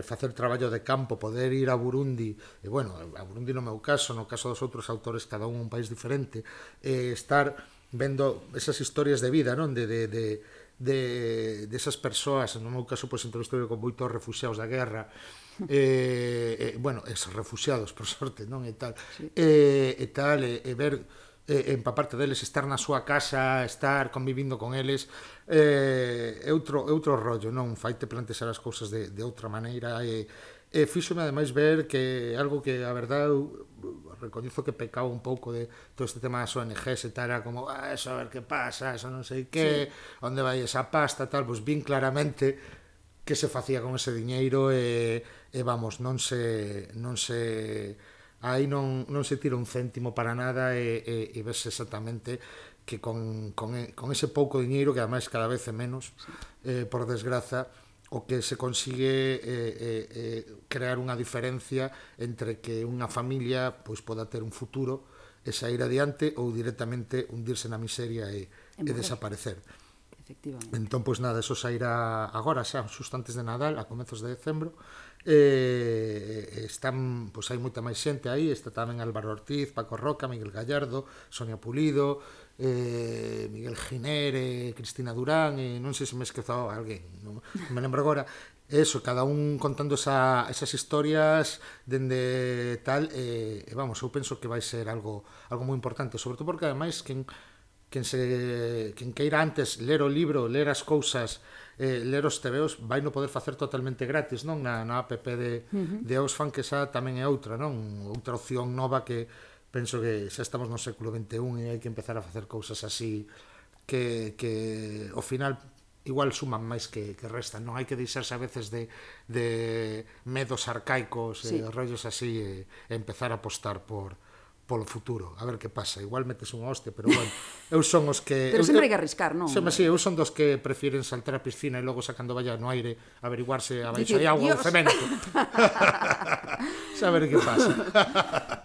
facer traballo de campo, poder ir a Burundi, e bueno, a Burundi no meu caso, no caso dos outros autores, cada un país diferente, estar vendo esas historias de vida, non? De esas persoas, no meu caso, pois, entrevistei con moitos refuxiados da guerra, bueno, esos refuxiados, por sorte, non? E tal, e ver, empaparte deles, estar na súa casa, estar convivindo con eles, é outro rollo, non? Faite plantexar as cousas de outra maneira, e fíxome ademais ver que algo que, a verdade, recoñezo que pecaba un pouco de todo este tema das ONGs e tal, era como, eso a ver que pasa, eso non sei que, onde vai esa pasta, tal, pois vin claramente que se facía con ese diñeiro e vamos, non se aí non se tira un céntimo para nada e ves exactamente que con ese pouco diñeiro, que ademais cada vez é menos, por desgraza, o que se consigue crear unha diferencia entre que unha familia pois poda ter un futuro e sair adiante ou directamente hundirse na miseria e desaparecer. Entón, pois nada, eso sairá agora, xa, xusto antes de Nadal, a comezos de decembro. Están, pois hai moita máis xente aí, está tamén Álvaro Ortiz, Paco Roca, Miguel Gallardo, Sonia Pulido, Miguel Giner, Cristina Durán, e non sei se me esquezou alguén, non me lembro agora. Eso, cada un contando esas historias dende tal, e vamos, eu penso que vai ser algo moi importante, sobre todo porque ademais quen queira antes ler o libro, ler as cousas, ler os tebeos, vai non poder facer totalmente gratis, non? Na app de Oxfam, que xa tamén é outra, non? Outra opción nova que penso que xa estamos no século XXI e hai que empezar a facer cousas así que ao final igual suman máis que restan, non? Hai que deixarse a veces de medos arcaicos e rollos así e empezar a apostar polo futuro, a ver que pasa. Igual metes un hoste, pero bueno, eu son os que... Pero sempre hai que arriscar, non? Sí, eu son dos que prefiren saltar a piscina e logo sacando valla no aire averiguarse a baixo hai agua ou cemento. Saber que pasa.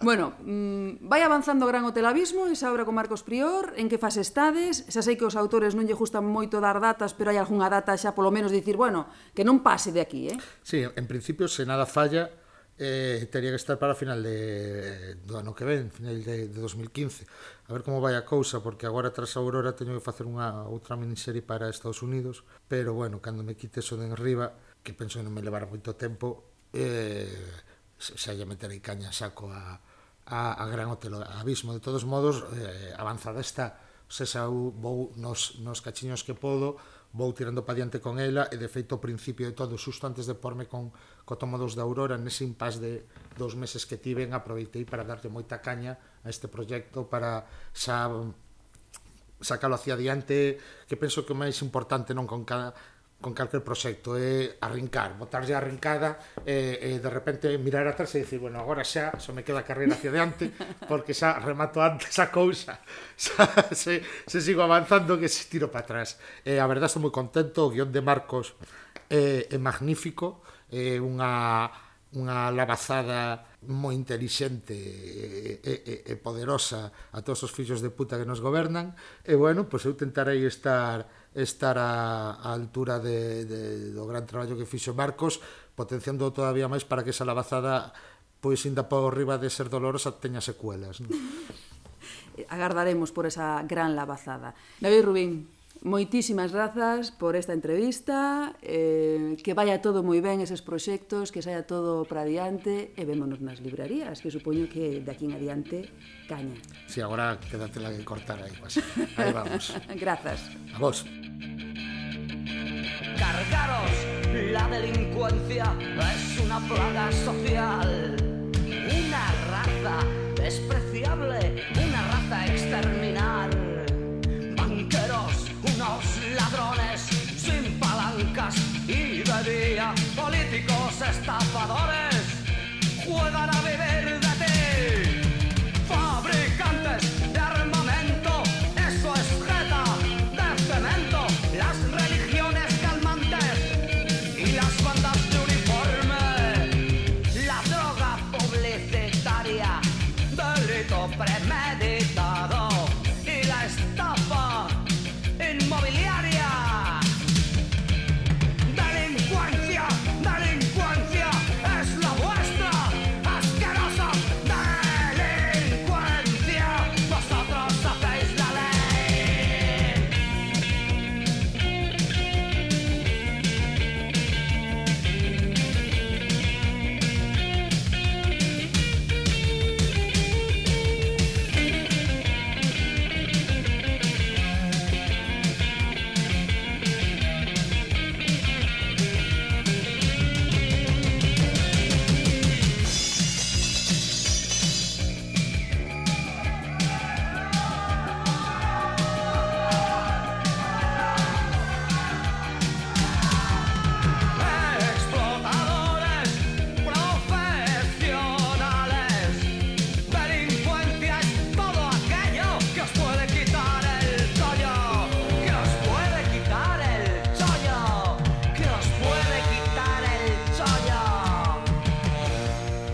Bueno, vai avanzando Gran Hotel Abismo, esa obra con Marcos Prior, en que fase estades? Xa sei que os autores non lle gustan moito dar datas, pero hai algunha data xa polo menos dicir, bueno, que non pase de aquí, Sí, en principio, se nada falla, teria que estar para final do ano que ven, final de 2015. A ver como vai a cousa, porque agora tras a Aurora teño que facer unha outra miniserie para Estados Unidos, pero bueno, cando me quite eso de enriba, que penso que non me levará moito tempo, xa lle meterei caña saco a Gran Hotel Abismo. De todos modos, avanzada está, xa vou nos cachiños que podo, vou tirando pa diante con ela, e de feito ao principio de todo, xusto antes de porme co tomo 2 da Aurora, nese impás de 2 meses que tiven, aproveitei para darlle moita caña a este proxecto para xa sacalo hacia diante, que penso que o máis importante non con calquer proxecto é arrincar, botarlle a arrincada e de repente mirar atrás e dicir, bueno, agora xa só me queda a carreira hacia diante porque xa remato antes a cousa, xa se sigo avanzando que se tiro para atrás. A verdade, estou moi contento, o guión de Marcos é magnífico, é unha lavazada moi intelixente e poderosa a todos os fillos de puta que nos gobernan, e bueno, pois eu tentarei estar á altura do gran traballo que fixo Marcos, potenciando todavía máis para que esa labazada, pois ainda por riba de ser dolorosa, teña secuelas, non? Agardaremos por esa gran labazada. David Rubín, moitísimas grazas por esta entrevista, que vaya todo moi ben eses proxectos, que saia todo para adiante, e vémonos nas librarías, que supoño que de aquí en adiante caña. Si, agora quédatela que cortar aí, pues. Aí vamos. Grazas. A vos. Cargaros, la delincuencia es una plaga social, una raza despreciable, una raza a exterminar. Banqueros, unos ladrones sin palancas y de día, políticos estafadores juegan a vivir de ti. Fabricantes de armamento, eso es jeta de cemento. Las religiones calmantes y las bandas de uniforme, la droga publicitaria, delito premeditado y la estafa inmobiliaria. Delincuencia, delincuencia es la vuestra, asquerosa delincuencia. Vosotros hacéis la ley. Explotadores profesionales, delincuencia es todo aquello que os puede quitar el chollo, que os puede quitar el chollo, que os puede quitar el chollo.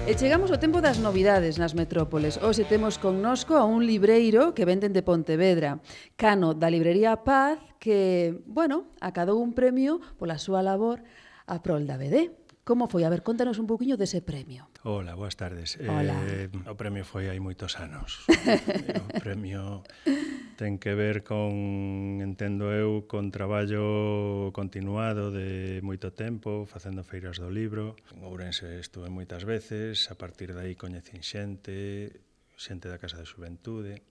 E chegamos ao tempo das novidades nas metrópoles. Hoxe temos connosco a un libreiro que venden de Pontevedra, Cano, da librería Paz, que, bueno, acadou un premio pola súa labor a prol da BD. Como foi? A ver, contanos un poquinho dese premio. Hola, boas tardes. Hola. O premio foi hai moitos anos. O premio ten que ver con, entendo eu, con traballo continuado de moito tempo, facendo feiras do libro. En Ourense estuve moitas veces, a partir de aí coñecín xente da Casa de Xuventude,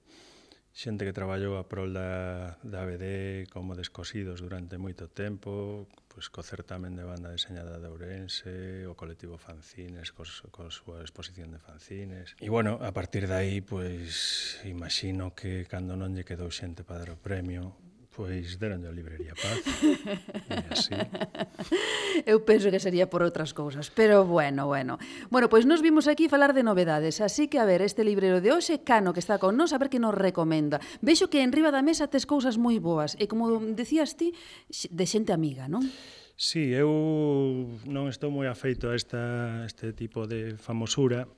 xente que traballou a prol da BD como Descosidos durante moito tempo, pois co certamen de banda deseñada de Ourense, o colectivo Fanzines, coa súa exposición de fanzines. E, bueno, a partir de aí, pois, imagino que cando non lle quedou xente para dar o premio, pois deronlle a librería Paz. E así. Eu penso que sería por outras cousas, pero bueno. Bueno, pois nos vimos aquí falar de novedades, así que, a ver, este libreiro de hoxe, Cano, que está con nós, a ver que nos recomenda. Vexo que en riba da mesa tes cousas moi boas, e como decías ti, de xente amiga, non? Sí, eu non estou moi afeito a este tipo de famosura,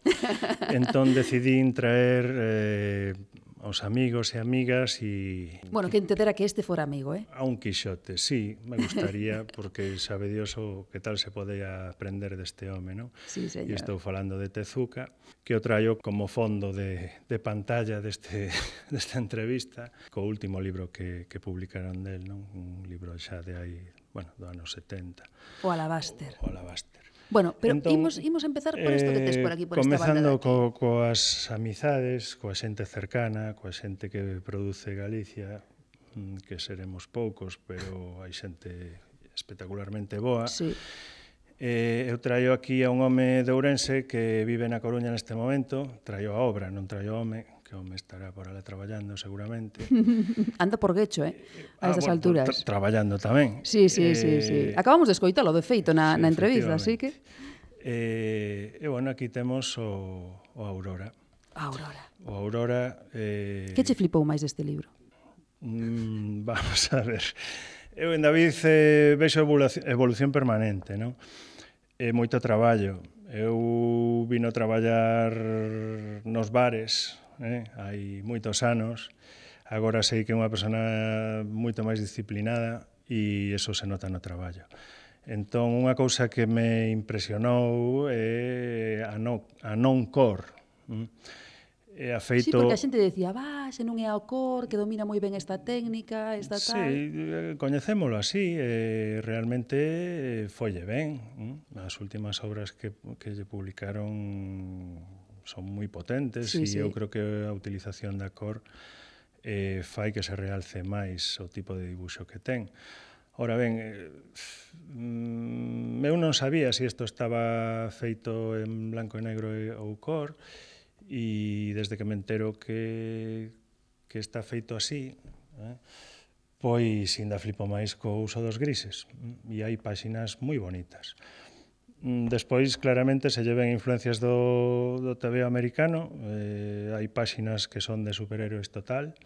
entón decidín traer aos amigos e amigas e... Bueno, que entendera que este fora amigo, A un Quixote, sí, me gustaría, porque sabe Dios o que tal se podía aprender deste home, non? Sí, señor. E estou falando de Tezuka, que o traio como fondo de pantalla desta entrevista, co último libro que publicaron del, non? Un libro xa de aí, bueno, do ano 70. O Alabaster. O Alabaster. Bueno, pero entón, imos empezar por isto que tes por aquí, por esta banda de aquí. Comezando coas amizades, coa xente cercana, coa xente que produce Galicia, que seremos poucos, pero hai xente espectacularmente boa. Sí. Eu traio aquí a un home de Ourense que vive na Coruña neste momento, traio a obra, non traio o home, que o home estará por alá traballando seguramente. Anda por Guecho, a estas alturas. Traballando tamén. Sí. Acabamos de escoitalo, de feito, na entrevista, así que... E, bueno, aquí temos o Aurora. O Aurora... Que che flipou máis deste libro? Vamos a ver. Eu en David vexo evolución permanente, non? Moito traballo. Eu vino traballar nos bares, hai moitos anos. Agora sei que é unha persona moito máis disciplinada e eso se nota no traballo. Entón, unha cousa que me impresionou é a non-cor. Sí, porque a xente decía, se non é ao cor, que domina moi ben esta técnica, esta tal... Sí, coñecémolo así, realmente folle ben. As últimas obras que lle publicaron son moi potentes e eu creo que a utilización da cor fai que se realce máis o tipo de dibuixo que ten. Ora ben, eu non sabía se isto estaba feito en blanco e negro ou cor, e desde que me entero que está feito así, pois ainda flipo máis co uso dos grises, e hai páxinas moi bonitas. Despois, claramente, se lleven influencias do TVO americano, hai páxinas que son de superhéroes total,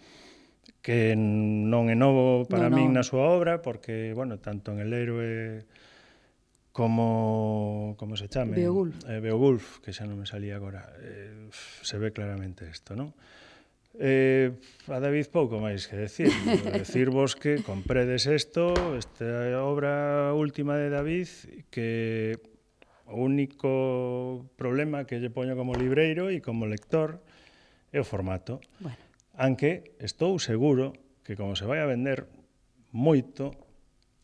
que non é novo para min na súa obra, porque, bueno, tanto en El Héroe como se chame? Beowulf, que xa non me salía agora, se ve claramente isto, non? A David pouco máis que decir. Decirvos que compredes esta obra última de David, que o único problema que lle poño como libreiro e como lector é o formato. Aunque estou seguro que como se vai a vender moito,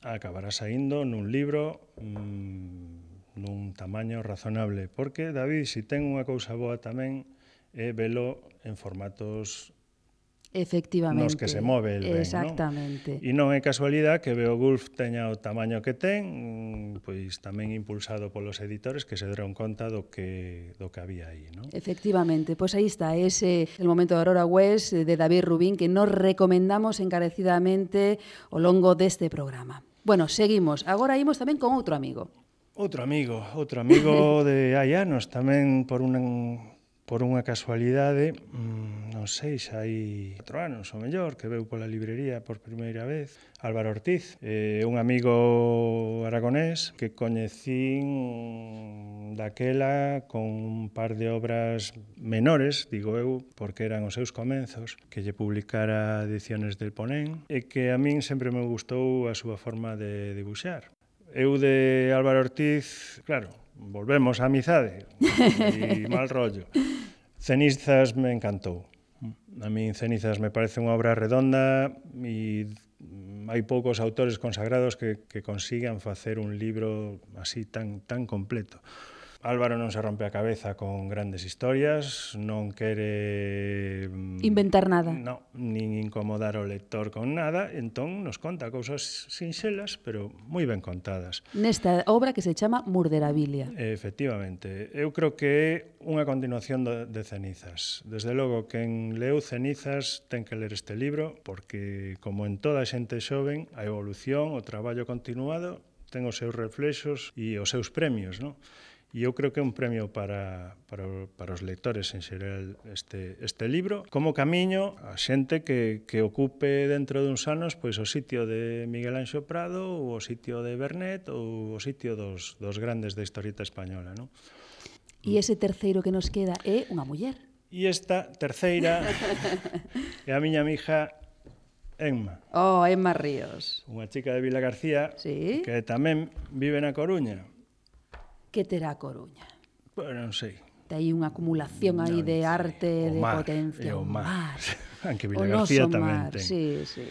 acabará saindo nun libro nun tamaño razonable, porque David, si ten unha cousa boa tamén, é velo en formatos nos que se move el ben, exactamente. E non é casualidade que Beowulf teña o tamaño que ten, pois tamén impulsado polos editores que se deron conta do que había aí, non? Efectivamente, pois aí está, ese El momento de Aurora West de David Rubín, que nos recomendamos encarecidamente ao longo deste programa. Bueno, seguimos. Agora imos tamén con outro amigo. Outro amigo de hai anos, tamén por unha casualidade, non sei, xa hai 4 anos ou mellor, que veu pola librería por primeira vez, Álvaro Ortiz, un amigo aragonés que coñecín daquela con un par de obras menores, digo eu, porque eran os seus comenzos, que lle publicara Ediciones del Ponén, e que a min sempre me gustou a súa forma de dibuixar. Eu de Álvaro Ortiz, claro, volvemos á amizade e mal rollo. Cenizas me encantou. A min Cenizas me parece unha obra redonda e hai poucos autores consagrados que consigan facer un libro así tan completo. Álvaro non se rompe a cabeza con grandes historias, non quere inventar nada. Non, nin incomodar o lector con nada, entón nos conta cousas sinxelas, pero moi ben contadas. Nesta obra que se chama Murderabilia. Efectivamente, eu creo que é unha continuación de Cenizas. Desde logo, quen leu Cenizas ten que ler este libro, porque, como en toda xente xoven, a evolución, o traballo continuado, ten os seus reflexos e os seus premios, non? E eu creo que é un premio para os lectores en xeral este libro, como camiño a xente que ocupe dentro duns anos pois o sitio de Miguel Anxo Prado ou o sitio de Bernet ou o sitio dos grandes da historieta española, non? E ese terceiro que nos queda é unha muller. E esta terceira é a miña amiga Emma. Oh, Emma Ríos. Unha chica de Vila García que tamén vive na Coruña. Que terá a Coruña? Bueno, non sei. Hai unha acumulación aí de arte, de potencia. O mar. Aunque Vila García tamén ten. Sí, sí.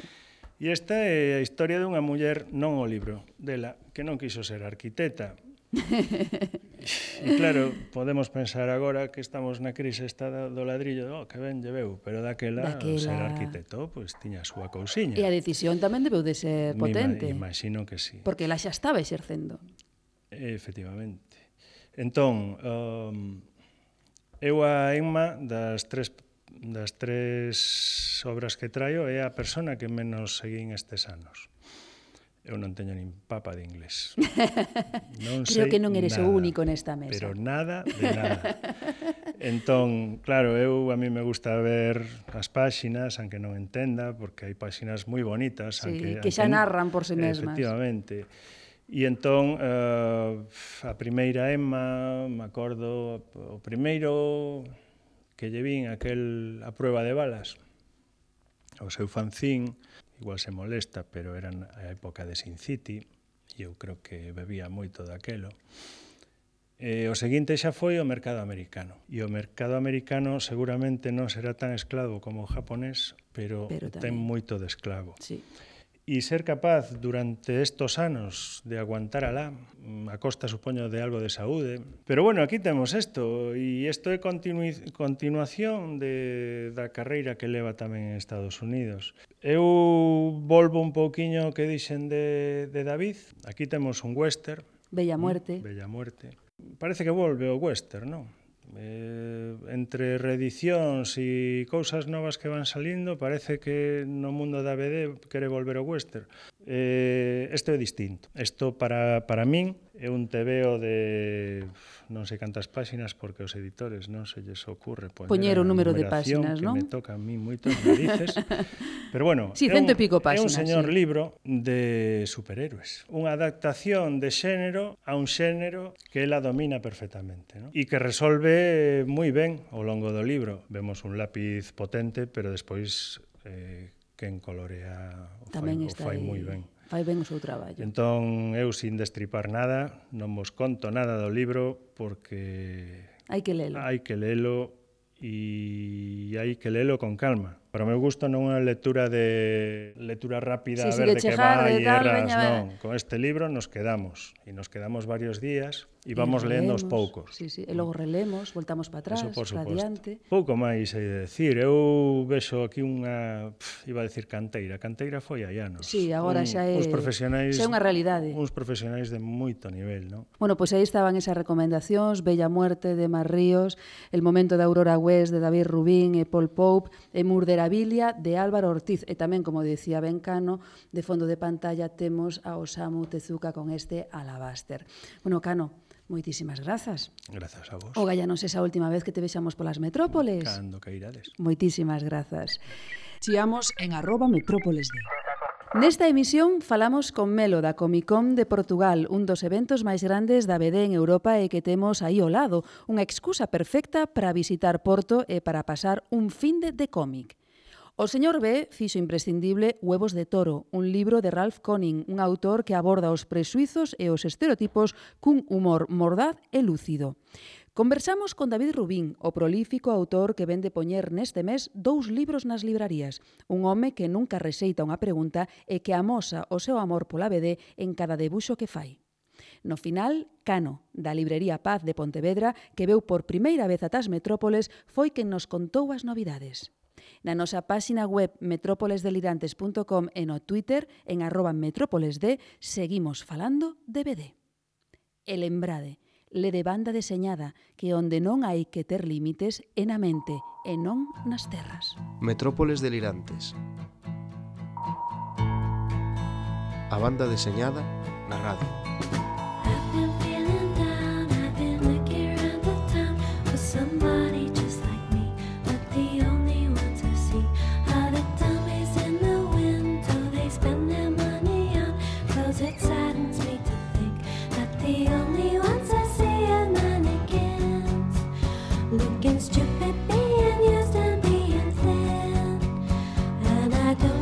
E esta é a historia dunha muller, non o libro dela, que non quiso ser arquiteta. E claro, podemos pensar agora que estamos na crise esta do ladrillo, que ben lleveu, pero daquela ser arquitecto, pois tiña a súa cousiña. E a decisión tamén debeu de ser potente. Imagino que sí. Porque ela xa estaba exercendo. Efectivamente. Entón, eu a Emma das tres obras que traio é a persona que menos seguín estes anos. Eu non teño nin papa de inglés. Non Creo que non eres o único nesta mesa. Pero nada de nada. Entón, claro, a mí me gusta ver as páxinas, aunque non entenda, porque hai páxinas moi bonitas. Sí, que xa narran por si mesmas. Efectivamente. E entón, a primeira Emma, me acordo, o primeiro que lle vin a prueba de balas, o seu fanzín, igual se molesta, pero era a época de Sin City, e eu creo que bebía moito daquelo. O seguinte xa foi o mercado americano. E o mercado americano seguramente non será tan esclavo como o japonés, pero ten moito de esclavo. Sí. E ser capaz durante estos anos de aguantar alá, a costa, supoño, de algo de saúde. Pero bueno, aquí temos isto, e isto é continuación da carreira que leva tamén en Estados Unidos. Eu volvo un pouquiño o que dixen de David. Aquí temos un western. Bella Muerte. Bella Muerte. Parece que volve o western, non? Entre reedicións e cousas novas que van salindo, parece que no mundo da BD quere volver ao western. Isto é distinto. Isto para min é un tebeo de non sei cantas páxinas, porque os editores non se lles ocurre poñer o número de páxinas, non? Que me toca a mí moitos narices. Pero bueno, sí, cento e pico páxinas, é un señor libro de superhéroes. Unha adaptación de xénero a un xénero que ela domina perfectamente, non? E que resolve moi ben ao longo do libro. Vemos un lápiz potente, pero despois quen colorea o fai moi ben. Fai ben o seu traballo. Entón, eu, sin destripar nada, non vos conto nada do libro, porque hai que lelo. Hai que lelo e hai que lelo con calma. Para o meu gusto non é unha lectura rápida, a ver de que vai e erras, non. Con este libro nos quedamos, e nos quedamos varios días e vamos lendo aos poucos. Sí, e logo relemos, voltamos para atrás, para adiante. Pouco máis hai de decir. Eu vexo aquí unha, iba a decir canteira foi hai anos. Sí, agora xa é unha realidade. Uns profesionais de moito nivel, non? Bueno, pois aí estaban esas recomendacións: Bella Muerte de Mar Ríos, El momento de Aurora West de David Rubin e Paul Pope, e Murderabilia de Álvaro Ortiz, e tamén, como dicía Ben Cano, de fondo de pantalla temos a Osamu Tezuka con este Alabaster. Bueno, Cano, moitísimas grazas. Grazas a vos. O gallanos esa última vez que te vexamos polas metrópoles. Cando que irades. Moitísimas grazas. Chiamos en @metrópolesd. Nesta emisión falamos con Melo da Comic Con de Portugal, un dos eventos máis grandes da BD en Europa e que temos aí ao lado, unha excusa perfecta para visitar Porto e para pasar un finde de cómic. O señor B fixo imprescindible Huevos de Toro, un libro de Ralph Conning, un autor que aborda os presuizos e os estereotipos cun humor mordaz e lúcido. Conversamos con David Rubin, o prolífico autor que vende poñer neste mes 2 libros nas librarías, un home que nunca rexeita unha pregunta e que amosa o seu amor pola BD en cada debuxo que fai. No final, Cano, da librería Paz de Pontevedra, que veu por primeira vez ata as metrópoles, foi quen nos contou as novidades. Na nosa páxina web metrópolesdelirantes.com e no Twitter, en @metrópolesd, seguimos falando de BD. E lembrade, le de banda deseñada, que onde non hai que ter límites é na mente e non nas terras. Metrópoles Delirantes. A banda deseñada na radio. Looking stupid, being used and being thin, and I don't